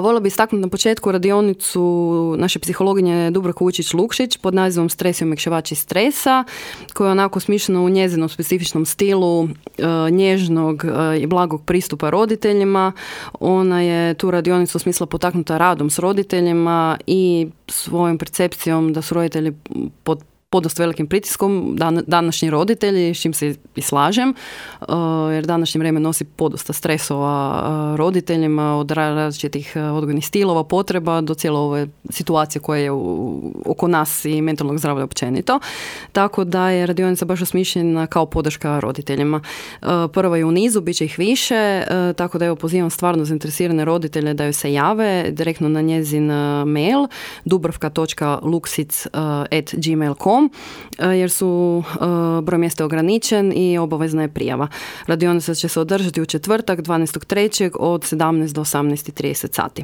Voljela bi istaknuti na početku radionicu naše psihologinje Dubravke Vučić-Lukšić pod nazivom Stres i omekšivači stresa, koja je onako smišljena u njezinom specifičnom stilu nježnog i blagog pristupa roditeljima. Ona je tu radionicu smisla potaknuta radom s roditeljima i svojom percepcijom da su roditelji pod podosta velikim pritiskom, današnji roditelji, s čim se i slažem, jer današnje vrijeme nosi podosta stresova roditeljima, od različitih odgojnih stilova, potreba, do cijele ove situacije koje je oko nas i mentalnog zdravlja općenito. Tako da je radionica baš osmišljena kao podrška roditeljima. Prva je u nizu, bit će ih više, tako da evo pozivam stvarno zainteresirane roditelje da joj se jave direktno na njezin mail dubravka.luksic@gmail.com jer su broj mjesta ograničen i obavezna je prijava. Radionica će se održati u četvrtak 12.3. od 17 do 18.30 sati.